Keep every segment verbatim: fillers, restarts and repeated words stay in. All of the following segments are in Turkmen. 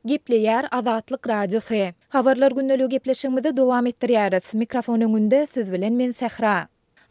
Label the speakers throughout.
Speaker 1: Gepleýär Azatlyk Radiosy. Habarlar gündeligi gepleşigimizi dowam etdirýäris. Mikrofon öňünde siz bilen men Sähra.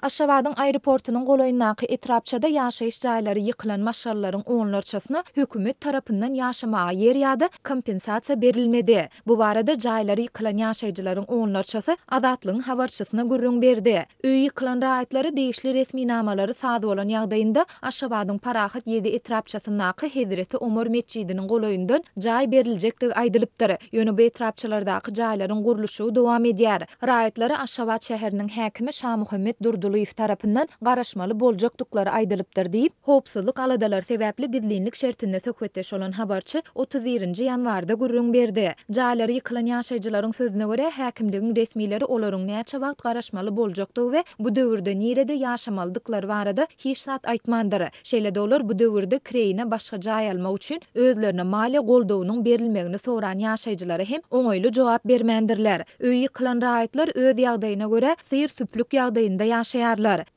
Speaker 1: Aşgabadyň aeroportunyň golaýyndaky etrapçada ýaşaýyş jaýlary ýykylan maşgalalaryň onlarçasyna hökümet tarapyndan ýaşamaga ýer ýa-da kompensasiýa berilmedi. Bu barada jaýlary ýykylan ýaşaýjylaryň onlarçasy Azatlygyň habarçysyna gürrüň berdi. Öýi ýykylan raýatlara degişli resminamalary saz bolan ýagdaýynda Aşgabadyň Parahat ýedi etrapçasyndaky Hezreti Omar metjidiniň golaýyndan jaý beriljekdigi aýdylypdyr. Ýöne bu etrapçalardaky jaýlaryň gurluşygy dowam edýär. Raýatlara Aşgabat şäheriniň häkimi Şamuhammet Durdylyýew tarapyndan garaşmaly boljakdyklary aýdylypdyr diýip, howpsuzlyk aladalary sebäpli gizlinlik şertinde söhbetdeş bolan habarçy otuz birinji ýanwarda gürrüň berdi. Jaýlary ýykylan ýaşaýjylaryň sözüne görä, häkimligiň resmileri olaryň näçe wagt garaşmaly boljakdygy we bu döwürde nirede ýaşamalydyklary barada hiç zat aýtmandyr. Şeýle-de olar bu döwürde kireýine başga jaý almak üçin özlerine maliýe goldawynyň berilmegini soran ýaşaýjylara hem oňaýly jogap bermändirler. Öýi ýykylan raýatlar öz ýagdaýyna görä syr-süplük ýagdaýynda ýaşaýarlar.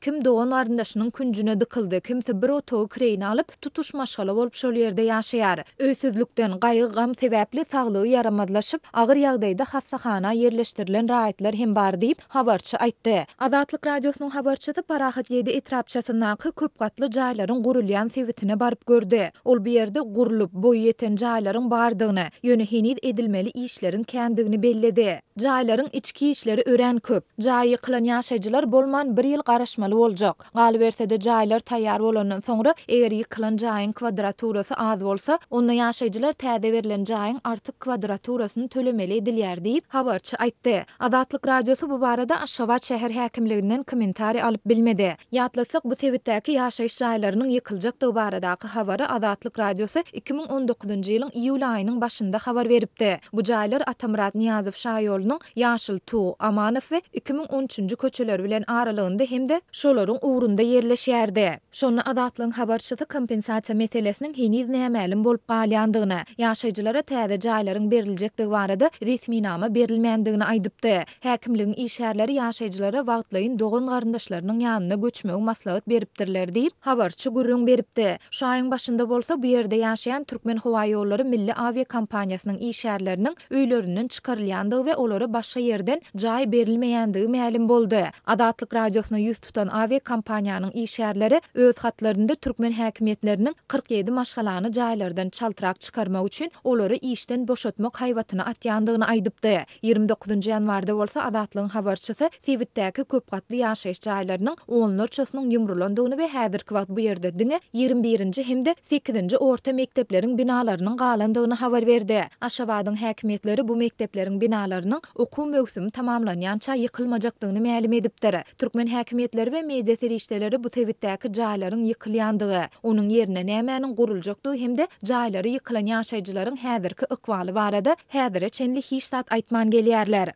Speaker 1: Kim dogan-garyndaşynyň künjüne dykyldy, kimsi bir otagy kireýine alyp, tutuş maşgala bolup şol ýerde ýaşaýar. Öýsüzlikden, gaýgy-gam sebäpli saglygy ýaramazlaşyp, agyr ýagdaýda hassahana ýerleşdirilen raýatlar hem bar diýip, habarçy aýtdy. Azatlyk Radiosynyň habarçysy Parahat ýedi etrapçasyndaky köp gatly jaýlaryň gurulýan sebitine baryp gördi. Ol bu ýerde gurlup, boýy ýeten jaýlaryň bardygyny, ýöne heniz edilmeli işleriň kändigini belledi. Jaýlaryň içki işleri örän köp. Jaýy ýykylan ýaşaýjylar bolman bir ýyl garaşmaly boljak. Galyberse-de jaýlar taýýar bolandan soňra, eger ýykylan jaýyň kwadraturasy az bolsa, onda ýaşaýjylar täze berlen jaýyň artyk kwadraturasyny tölemeli edilýär diýip, habarçy aýtdy. Azatlyk Radiosy bu barada Aşgabat şäher häkimliginden kommentariý alyp bilmedi. Ýatlatsak, bu sebitdäki ýaşaýyş jaýlarynyň ýykyljakdygy baradaky habary Azatlyk Radiosy iki müň on dokuzynjy ýylyň iýul aýynyň başynda habar beripdi. Bu jaýlar Atamyrat Nyýazow şaýolunyň Ýaşyl Tug, Amanow we iki müň on üçünji köçeleri bilen aralygynda hem-de şolaryň ugrunda ýerleşýärdi. Şonda Azatlygyň habarçysy kompensasiýa meselesiniň heniz nämälim bolup galýandygyny, ýaşaýjylara täze jaýlaryň beriljekdigi barada resminama berilmändigini aýdypdy. Häkimligiň işgärleri ýaşaýjylara wagtlaýyn dogan-garyndaşlarynyň ýanyna göçmegi maslahat beripdirler diýip, habarçy gürrüň beripdi. Şu aýyň başynda bolsa bu ýerde ýaşaýan Türkmenhowaýollary milli awiakompaniýasynyň işgärleriniň öýlerinden çykarylýandygy we olara başga ýerden jaý berilmeýändigi mälim boldy. Azatlyk Radiosyna ýüz tutan awiakompaniýanyň işgärleri öz hatlarynda türkmen häkimiýetleriniň kyrk ýedi maşgalany jaýlardan çaltrak çykarmak üçin olary işden boşatmak haýbatyny atýandygyny aýdypdy. Ýigrimi dokuzynjy ýanwarda bolsa Azatlygyň habarçysy sebitdäki köp gatly ýaşaýyş jaýlarynyň onlarçasynyň ýumrulandygyny we häzirki wagt bu ýerde diňe ýigrimi birinji hem-de sekizinji orta mekdepleriň binalarynyň galandygyny habar berdi. Aşgabadyň häkimiýetleri bu mekdepleriň binalarynyň okuw möwsümi tamamlanýança ýykylmajakdygyny mälim edipdir. Türkmen häkimiýetleri we media serişdeleri bu sebitdäki jaýlaryň ýykylýandygy, onuň ýerine nämäniň guruljakdygy hem-de jaýlary ýykylan ýaşaýjylaryň häzirki ykbaly barada häzire çenli hiç zat aýtman gelýärler.